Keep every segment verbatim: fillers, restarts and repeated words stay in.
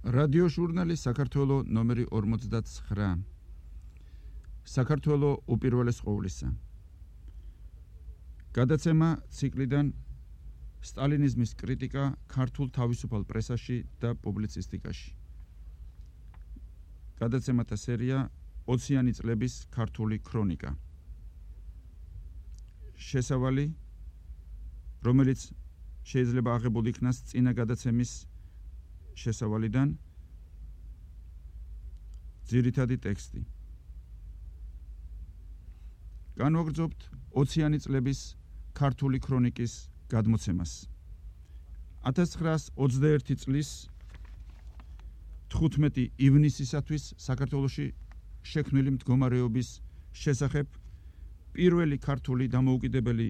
რადიო ჟურნალი საქართველო ნომერი ორმოცდათცხრა. საქართველო უპირველეს ყოვლისა. გადაცემა ციკლიდან სტალინიზმის კრიტიკა ქართულ თავისუფალ პრესაში და პუბლიცისტიკაში. გადაცემათა სერია ოციანი წლების ქართული ქრონიკა. შესავალი, რომელიც შეიძლება აღებული იქნას წინა გადაცემის შესავალიდან, ძირითადი ტექსტი. განვაგრძობთ ოციანი წლების ქართული ქრონიკის გადმოცემას. ათას ცხრაას ოცდაერთი წლის თხუთმეტი ივნისისათვის საქართველოში შექმნილი მდგომარეობის შესახებ პირველი ქართული დამოუკიდებელი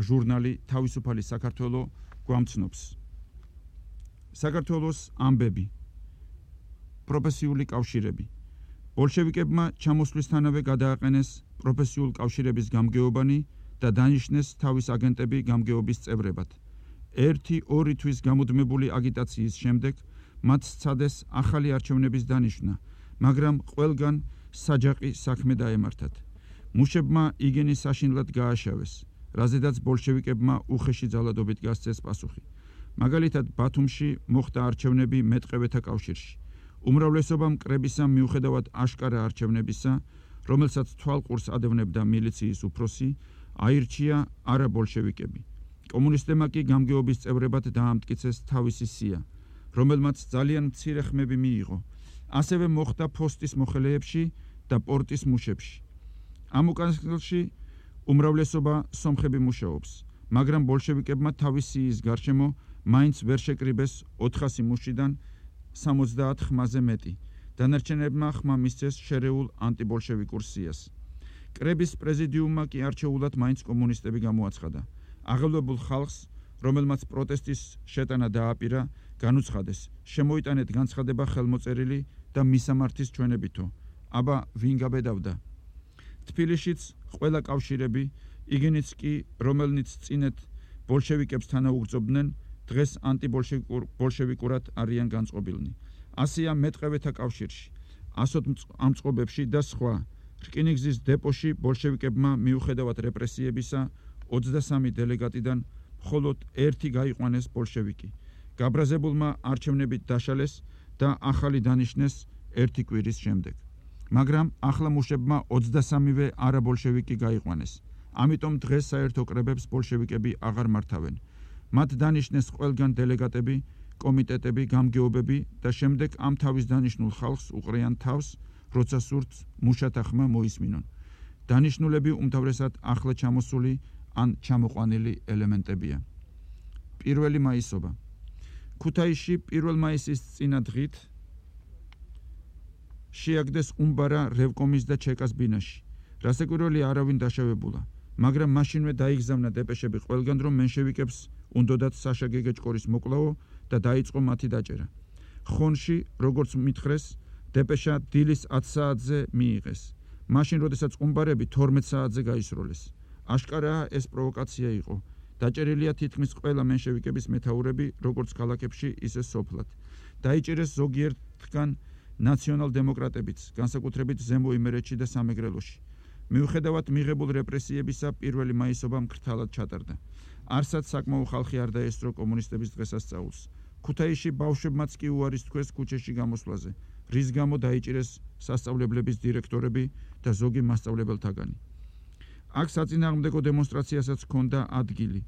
ჟურნალი თავისუფალი საქართველო გვამცნობს. საქართველოს ამბები, პროფესიული კავშირები. ბოლშევიკებმა ჩამოსვლისთანავე გადააყენეს პროფესიულ კავშირების გამგეობანი და დანიშნეს თავის აგენტები გამგეობის წევრებად. ერთი ორი თვის გამუდმებული აგიტაციის შემდეგ მათ სცადეს ახალი არჩევნების დანიშვნა, მაგრამ ყველგან საჯაყი საქმე დაემართათ. მუშებმა იგენი საშინლად გააშავეს, რაზედაც ბოლშევიკებმა უხეში ძალადობით გასცეს პასუხი. მაგალითად, ბათუმში მოხდა არჩევნები მეტყევეთა კავშირში. უმრავლესობამ კრებისა მიუხედავად აშკარა არჩევნებისა, რომელსაც თვალყურს ადევნებდა მილიციის უფროსი, აირჩია არა ბოლშევიკები. კომუნისტებმა კი გამგეობის წევრებად დაამტკიცეს თავისი სია, რომელმაც ძალიან მცირე ხმები მიიღო. ასევე მოხდა ფოსტის მოხელეებში და პორტის მუშებში. ამ უკანასკნელში უმრავლესობა სომხები მუშაობს, მაგრამ ბოლშევიკებმა თავის სიის გარშემო მაინც ვერ შეკრიბეს ოთხასი მუშიდან სამოცდაათ ხმაზე მეტი. დანარჩენებმა ხმა მისცეს შერეულ ანტიბოლშევიკურ სიას. კრების პრეზიდიუმმა კი არჩეულად მაინც კომუნისტები გამოაცხადა. აღელვებულ ხალხს, რომელმაც პროტესტის შეტანა დააპირა, განუცხადეს, შემოიტანეთ განცხადება ხელმოწერილი და მისამართის ჩვენებითო. აბა ვინ გაბედავდა? თბილისშიც ყველა კავშირები, იგენიც კი, რომელნიც წინეთ ბოლშევიკებს თანაუგრძობდნენ, დღეს ანტიბოლშევიკურად არიან განწყობილნი. ასეა მეტყევეთა კავშირში, ასოთ ამწყობებში და სხვა. რკინიგზის დეპოში ბოლშევიკებმა მიუხედავად რეპრესიებისა ოცდასამი დელეგატიდან მხოლოდ ერთი გაიყვანეს ბოლშევიკი. გაბრაზებულმა არჩევნებით დაშალეს და ახალი დანიშნეს ერთი კვირის შემდეგ. მაგრამ ახლა მუშებმა ოცდასამივე არაბოლშევიკი გაიყვანეს. ამიტომ დღეს საერთო კრებებს ბოლშევიკები აღარ მართავენ. მათ დანიშნეს ყველგან დელეგატები, კომიტეტები, გამგეობები და შემდეგ ამ თავის დანიშნულ ხალხს უყრიან თავს, როცა სურთ მუშათა ხმა მოისმინონ. დანიშნულები უმთავრესად ახლა ჩამოსული ან ჩამოყვანილი ელემენტებია. პირველი მაისობა. ქუთაისში პირველ მაისის წინა დღით შეაგდეს უმბარა რევკომის და ჩეკას ბინაში. რასაკვირველია, არავინ დაშავებულა, მაგრამ მაშინვე დაიგზავნა დეპეშები ყველგან, რომ მენშევიკებს უნდოდათ საშა გეგეჭკორის მოკლაო და დაიწყო მათი დაჭერა. ხონში, როგორც მითხრეს, დეპეშა დილის ათ საათზე მიიღეს. მაშინ, როდესაც უმბარები თორმეტ საათზე გაისროლეს. აშკარაა, ეს პროვოკაცია იყო. დაჭერილია თითქმის ყველა მენშევიკების მეთაურები, როგორც ქალაქებში, ისე სოფლად. დაიჭერეს ზოგიერთგან ნაციონალ-დემოკრატებიც, განსაკუთრებით ზემო იმერეთში და სამეგრელოში. მიუხედავად მიღებულ რეპრესიებისა, პირველი მაისობა მკრთალად ჩატარდა. არსად საკმაო ხალხი არ დაესწრო კომუნისტების დღესასწაულს. ქუთაისში ბავშვებმაც კი უარის თქვეს ქუჩაში გამოსვლაზე, რის გამო დაიჭირეს სასწავლებლების დირექტორები და ზოგი მასწავლებელთაგანი. აქ საწინააღმდეგო დემონსტრაციასაც ჰქონდა ადგილი,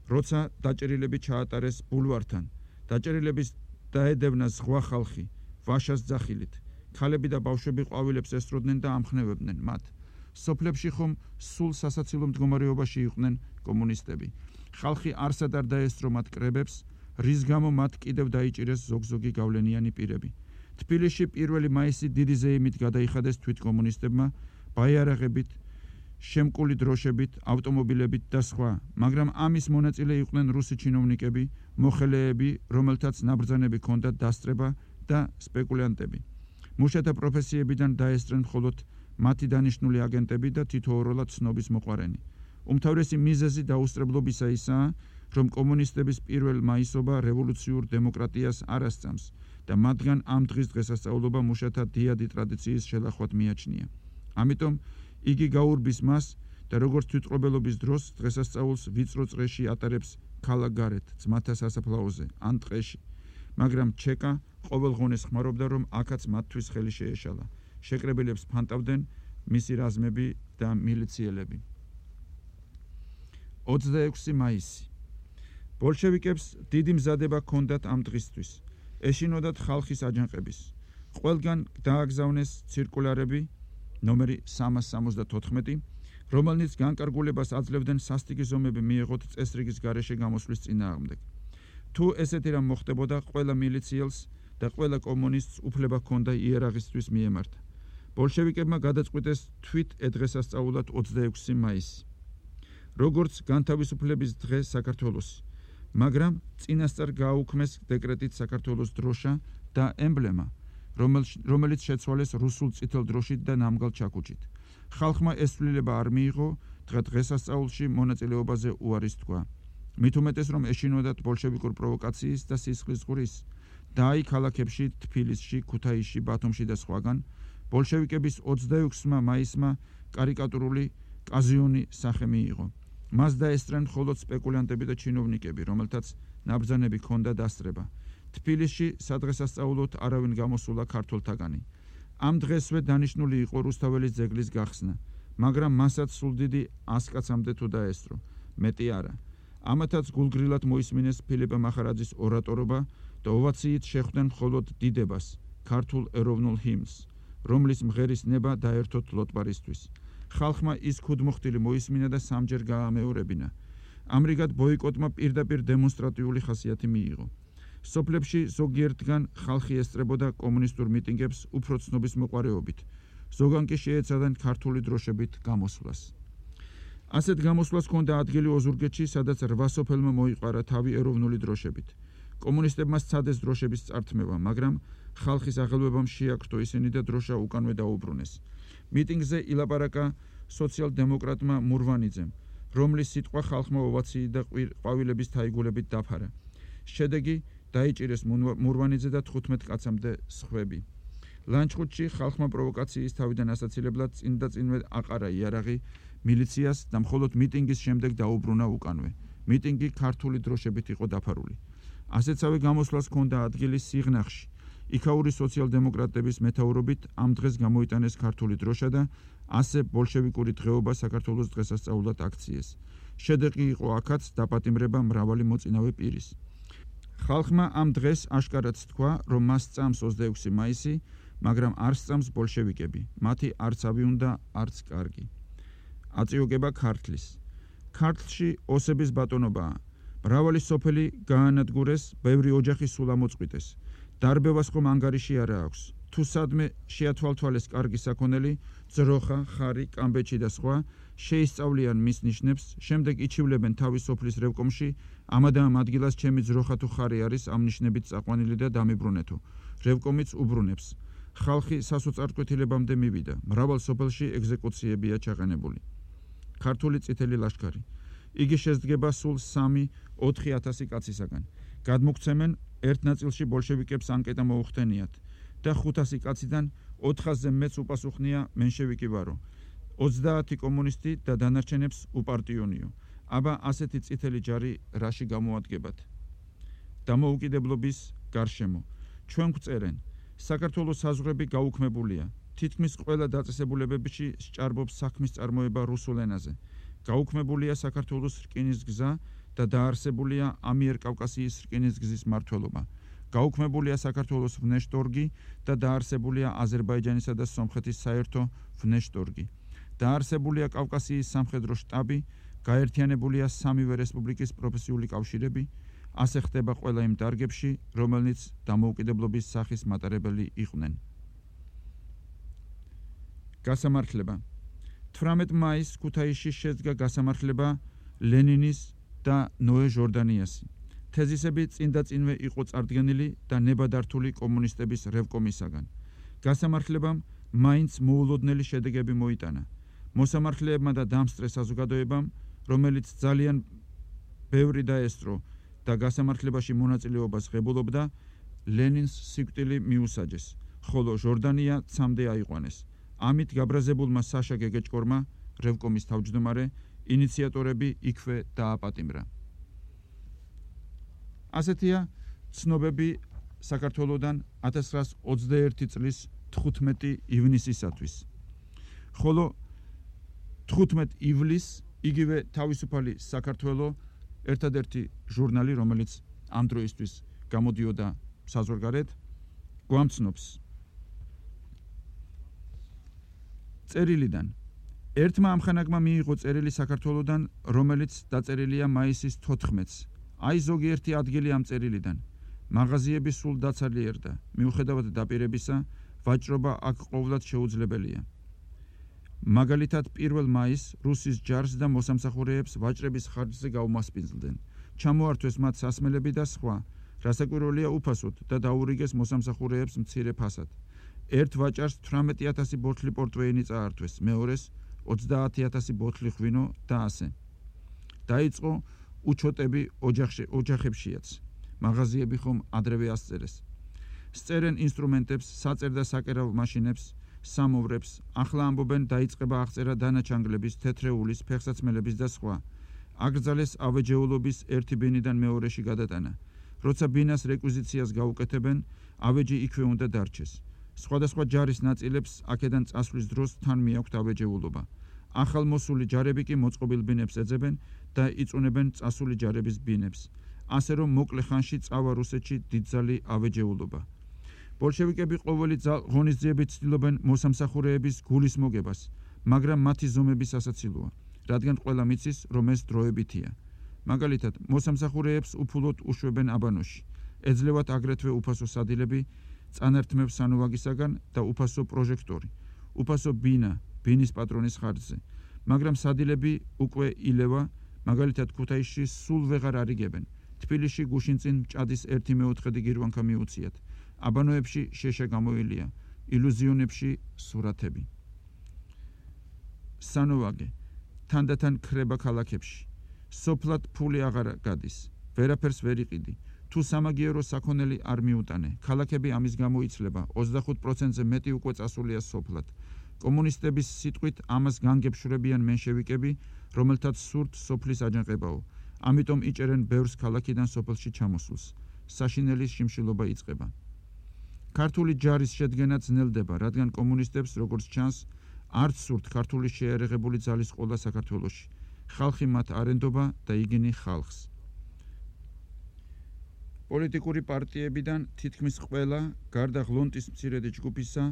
როცა დაჭერილები ჩაატარეს ბულვართან. დაჭერილების დაედევნა ზღვა ხალხი, ვაშას ძახილით. ქალები და ბავშვები ყვავილებს ესწროდნენ და ამხნევებდნენ მათ. სოფლებში ხომ სულ სასაცილო მდგომარეობაში იყვნენ კომუნისტები. ხალხი არსად არ დაესწრო მათ კრებებს, რის გამო მათ კიდევ დაიჭირეს ზოგ-ზოგი გავლენიანი პირები. თბილისში პირველი მაისი დიდი ზეიმით გადაიხადეს თვითკომუნისტებმა, ბაიარაღებით, შემკული დროშებით, ავტომობილებით და სხვა, მაგრამ ამის მონაწილე იყვნენ რუსი ჩინოვნიკები, მოხელეები, რომელთაც ნაბრძანები ჰქონდათ დასწრება და სპეკულანტები. მუშათა პროფესიებიდან დაესწრნენ მხოლოდ მათი დანიშნული აგენტები და თითოეულად ცნობის მოყვარენი. უმთავრესი მიზეზი დაუსწრებლობისა ისაა, რომ კომუნისტების პირველ მაისობა რევოლუციურ დემოკრატიას არ ასწამს და მათგან ამ დღის დღესასწაულობა მუშათა დიადი ტრადიციის შელახვად მიაჩნია. ამიტომ იგი გაურბის მას და როგორც თვითმკვლელობის დროს დღესასწაულს ვიწრო წრეში ატარებს ქალაქ გარეთ, ძმათა სასაფლაოზე ან ტყეში. მაგრამ ჩეკა ყოველღონეს ხმარობდა, რომ აქაც მათთვის ხელი შეეშალა. შეკრებილებს ფანტავდნენ მისი რაზმები და მილიციელები. ოცდაექვსი მაისი. ბოლშევიკებს დიდი მზადება ჰქონდათ ამ დღისთვის. ეშინოდათ ხალხის აჯანყების. ყველგან დააგზავნეს ცირკულარები ნომერი სამას სამოცდათოთხმეტი, რომელნიც განკარგულებას აძლევდნენ სასტიკი ზომები მიეღოთ წესრიგის გარეშე გამოსვლის წინააღმდეგ. თუ ესეთი რამ მოხდებოდა, ყველა მილიციელს და ყველა კომუნისტს უფლება ჰქონდა იერაღისთვის მიემართა. ბოლშევიკებმა გადაწყვიტეს თვით ედღესასწაულად ოცდაექვსი მაისი. როგორც განთავისუფლების დღე საქართველოსი, მაგრამ წინასწარ გააუქმეს დეკრეტით საქართველოს დროშა და ემბლემა, რომელიც შეცვალეს რუსულ წითელ დროშით და ნამგალ ჩაქუჩით. ხალხმა ეს ცვლილება არ მიიღო, დღესასწაულში მონაწილეობაზე უარის თქვა. მით უმეტეს, რომ ეშინოდათ ბოლშევიკურ პროვოკაციის და სისხლის ზღვრის და აი ქალაქებში თბილისში, ქუთაისში, ბათუმში და სხვაგან ბოლშევიკების ოცდაექვსმა მაისმა კარიკატურული კაზიონი სახე მიიღო. მას დაესწრნენ მხოლოდ სპეკულანტები და ჩინოვნიკები, რომელთაც ნაბრძანები ჰქონდა დასწრება. თბილისში სადღესასწაულოდ არავინ გამოსულა ქართველთაგანი. ამ დღესვე დანიშნული იყო რუსთაველის ძეგლის გახსნა, მაგრამ მასაც სულ დიდი ას კაცამდე თუ დაესწრო, მეტი არა. ამათაც გულგრილად მოისმინეს ფილიპე მახარაძის ორატორობა და ოვაციით შეხვდნენ მხოლოდ დიდებას, ქართულ ეროვნულ ჰიმნს, რომლის მღერის ნება დაერთოთ ლოტბარისთვის. ხალხმა ის ქუდმოხტილი მოისმინა და სამჯერ გაამეორებინა. ამრიგად ბოიკოტმა პირდაპირ დემონსტრატიული ხასიათი მიიღო. სოფლებში ზოგიერთგან ხალხი ესწრებოდა კომუნისტურ მიტინგებს უფრო ცნობის მოყვარეობით, ზოგან კი შეეცადნენ ქართული დროშებით გამოსვლას. ასეთ გამოსვლას ჰქონდა ადგილი ოზურგეთში, სადაც რვა სოფელმა მოიყარა თავი ეროვნული დროშებით. კომუნისტებმა სცადეს დროშების წართმევა, მაგრამ ხალხის აღელვებამ შეაქრთო ისინი და დროშა უკანვე დაუბრუნეს. მიტინგზე ილაპარაკა სოციალ-დემოკრატმა მურვანიძემ, რომლის სიტყვა ხალხმა ოვაციით და ყვავილების თაიგულებით დაფარა. შედეგი დაიჭირეს მურვანიძე და თხუთმეტ კაცამდე სხვები. ლანჩხუთში ხალხმა პროვოკაციის თავიდან ასაცილებლად წინ და წინვე აყარა იარაღი მილიციას და მხოლოდ მიტინგის შემდეგ დაუბრუნა უკანვე. მიტინგი ქართული დროშებით იყო დაფარული. ასეთსავე გამოსვლას ჰქონდა ადგილი სიღნაღში. იქაური სოციალ-დემოკრატების მეთაურობით ამ დღეს გამოიტანეს ქართული დროშა და ასე ბოლშევიკური დღეობა საქართველოს დღესასწაულად აქციეს. შედეგი იყო აქაც დაპატიმრება მრავალი მოწინავე პირის. ხალხმა ამ დღეს აშკარად თქვა, რომ მას სწამს ოცდაექვსი მაისი, მაგრამ არ სწამს ბოლშევიკები, მათი არც ავი უნდა, არც კარგი. აწიოგება ქართლის. ქართლში ოსების ბატონობაა. მრავალი სოფელი გაანადგურეს, ბევრი ოჯახი სულ ამოწყვიტეს. დარბევას ხომ ანგარიში არა აქვს. თუ სადმე შეათვალთვალეს კარგი საქონელი, ძროხა, ხარი, კამბეჩი და სხვა, შეისწავლიან მის ნიშნებს, შემდეგ იჩივლებენ თავის სოფლის რევკომში, ამადა ამ ადგილას ჩემი ძროხა თუ ხარი არის ამ ნიშნებით წაყვანილი და დამიბრუნეთო. რევკომიც უბრუნებს. ხალხი სასოწარკვეთილებამდე მივიდა. მრავალ სოფელში ეგზეკუციებია ჩაყენებული. ქართული წითელი ლაშქარი. იგი შედგება სულ სამი ოთხი ათასი კაცისაგან. გადმოგცემენ ერთ ნაწილში ბოლშევიკებს ანკეტა მოუხდენიათ და ხუთასი კაციდან ოთხასზე მეც უპასუხნია მენშევიკი ვარო. ოცდაათი კომუნისტი და დანარჩენებს უპარტიონიო. აბა ასეთი წითელი ჯარი რაში გამოადგებათ? დამოუკიდებლობის გარშემო. ჩვენ გვწერენ, საქართველოს საზღვრები გაუქმებულია. თითქმის ყველა დაწესებულებებში სჭარბობს საქმის წარმოება რუსულ ენაზე. გაუქმებულია საქართველოს რკინის გზა და დაარსებულია ამიერკავკასიის რკინის გზის მმართველობა. გაუქმებულია საქართველოს ვნეშტორგი და დაარსებულია აზერბაიჯანისა და სომხეთის საერთო ვნეშტორგი. დაარსებულია კავკასიის სამხედრო შტაბი, გაერთიანებულია სამივე რესპუბლიკის პროფესიული კავშირები, ასე ხდება ყველა იმ დარგებში, რომელნიც დამოუკიდებლობის სახის მატარებელი იყვნენ. გასამართლება. თვრამეტ მაისს ქუთაისში შედგა გასამართლება ლენინის და ნოე ჟორდანიასი. თეზისები წინ და წინვე იყო წარდგენილი და ნებადართული კომუნისტების რევკომისაგან. გასამართლებამ მაინც მოულოდნელი შედეგები მოიტანა. მოსამართლეებმა და დამსწრე საზოგადოებამ, რომელიც ძალიან ბევრი დაესწრო და გასამართლებაში მონაწილეობას ღებულობდა, ლენინს სიკვდილი მიუსაჯეს, ხოლო ჟორდანია ცამდე აიყვანეს. ამით გაბრაზებულმა საშა გეგეჭკორმა, რევკომის თავმჯდომარე, ინიციატორები იქვე დააპატიმრა. ასეთია ცნობები საქართველოდან ათას ცხრაას ოცდაერთი წლის თხუთმეტი ივნისისათვის. ხოლო თხუთმეტი ივლისს იგივე თავისუფალი საქართველო ერთადერთი ჟურნალი, რომელიც ამ დროისთვის გამოდიოდა საზღვარგარეთ, გვამცნობს წერილიდან. ერთმა ამხანაგმა მიიღო წერილი საქართველოდან, რომელიც დაწერილია მაისის თოთხმეტს. აი ზოგიერთი ადგილი ამ წერილიდან. მაღაზიები სულ დაცალიერდა. მიუხედავად დაპირებისა, ვაჭრობა აქ ყოვლად შეუძლებელია. მაგალითად, პირველ მაისს რუსის ჯარს და მოსამსახურეებს ვაჭრების ხარჯზე გაუმასპინძლდნენ. ჩამოართვეს მათ სასმელები და სხვა, რასაკვირველია უფასოდ და დაურიგეს მოსამსახურეებს მცირე ფასად. ერთ ვაჭარს თვრამეტი ათასი ბოთლი პორტვეინი წაართვეს, მეორეს ოცდაათი ათასი ბოთლი ღვინო და ასე. დაიწყო უჩოტები ოჯახებშიაც. მაღაზიები ხომ ადრევე ასწერეს. სწერენ ინსტრუმენტებს, საწერ და საკერავ მაშინებს, სამოვრებს, ახლა ამბობენ დაიწყება აღწერა დანაჩანგლების, თეთრეულის, ფეხსაცმელების და სხვა. აკრძალეს ავეჯეულობის ერთი ბინიდან მეორეში გადატანა. როცა ბინას რეკვიზიციას გაუკეთებენ, ავეჯი იქვე უნდა დარჩეს. სხვადასხვა ჯარის ნაწილებს აქედან წასვლის დროს თან მიაქვთ ავეჯეულობა. ახალ მოსული ჯარები კი მოწყობილ ბინებს ეძებენ და იწუნებენ წასული ჯარების ბინებს. ასე რომ მოკლე ხანში წავა რუსეთში დიდძალი ავეჯეულობა. ბოლშევიკები ყოველი ღონისძიებით ცდილობენ მოსამსახურეების გულის მოგებას, მაგრამ მათი ზომები სასაცილოა, რადგან ყველა მიცის, რომ ეს დროებითია. მაგალითად, მოსამსახურეებს უფულოდ უშვებენ აბანოში, ეძლევათ აგრეთვე უფასო სადილები, წანართმევ სანოვაგისაგან და უფასო პროჟექტორი, უფასო ბინა, ბინის პატრონის ხარჯზე, მაგრამ სადილები უკვე ილევა, მაგალითად ქუთაისში სულ ვეღარ არიგებენ, თბილისში გუშინწინ მჭადის ერთი მეოთხედი გირვანქა მიუციათ, აბანოებში შეშა გამოილია, ილუზიონებში სურათები. სანოვაგე, თანდათან ქრება ქალაქებში, სოფლად ფული აღარ გადის, ვერაფერს ვერ იყიდი, თუ სამაგიერო საქონელი არ მიუტანე, ქალაქები ამის გამო იცლება, ოცდახუთ პროცენტზე მეტი უკვე წასულია სოფლად. კომუნისტების სიტყვით ამას განგებშვრებიან მენშევიკები, რომელთაც სურთ სოფლის აჯანყებაო, ამიტომ იჭერენ ბევრს ქალაქიდან სოფელში ჩამოსულს. საშინელის შიმშილობა იწყება. ქართული ჯარის შედგენა ძნელდება, რადგან კომუნისტებს, როგორც ჩანს, არც სურთ ქართული შეიარაღებული ძალის ყოლა საქართველოში. ხალხი მათ არენდობა და იგინი ხალხს. პოლიტიკური პარტიებიდან თითქმის ყველა, გარდა ღლონტის მცირედი ჯგუფისა,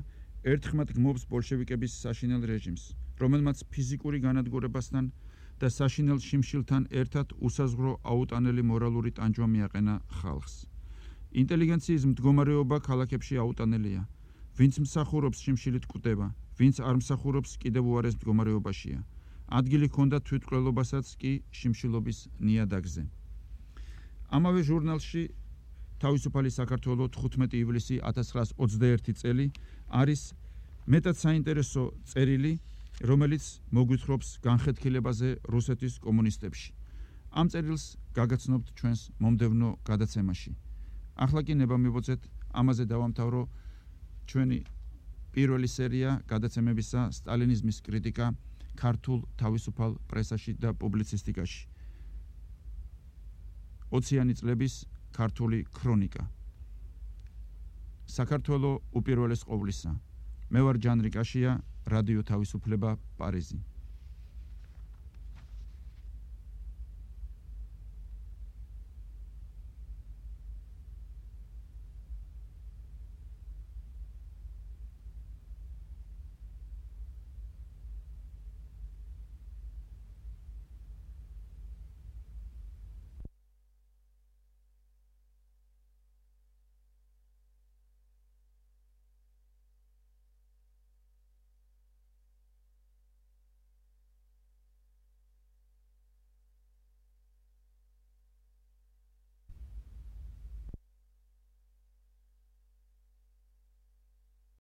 ერთხმად გმობს ბოლშევიკების საშინელ რეჟიმს, რომელმაც ფიზიკური განადგურებასთან და საშინელ შიმშილთან ერთად უსაზღვრო აუტანელი მორალური ტანჯვა მიაყენა ხალხს. ინტელიგენციის მდგომარეობა ქალაქებში აუტანელია. ვინც მსახურობს შიმშილით კვდება, ვინც არ მსახურობს კიდევ უარეს მდგომარეობაშია. ადგილი ჰქონდა თვითმკვლელობასაც კი შიმშილობის ნიადაგზე. ამავე ჟურნალში თავისუფალი საქართველო თხუთმეტი ივლისი ათას ცხრაას ოცდაერთი წელი არის მეტად საინტერესო წერილი, რომელიც მოგვითხრობს განხეთქილებაზე რუსეთის კომუნისტებში. ამ წერილს გაგაცნობთ ჩვენს მომდევნო გადაცემაში. ახლა კი ნება მივუძეთ, ამაზე დავამთავრო ჩვენი პირველი სერია გადაცემებისა სტალინიზმის კრიტიკა ქართულ თავისუფალ პრესაში და პუბლიცისტიკაში. ოციანი წლების ქართული ქრონიკა. საქართველო უპირველეს ყოვლისა. მე ვარ ჯანრი კაშია, რადიო თავისუფლება, პარიზი.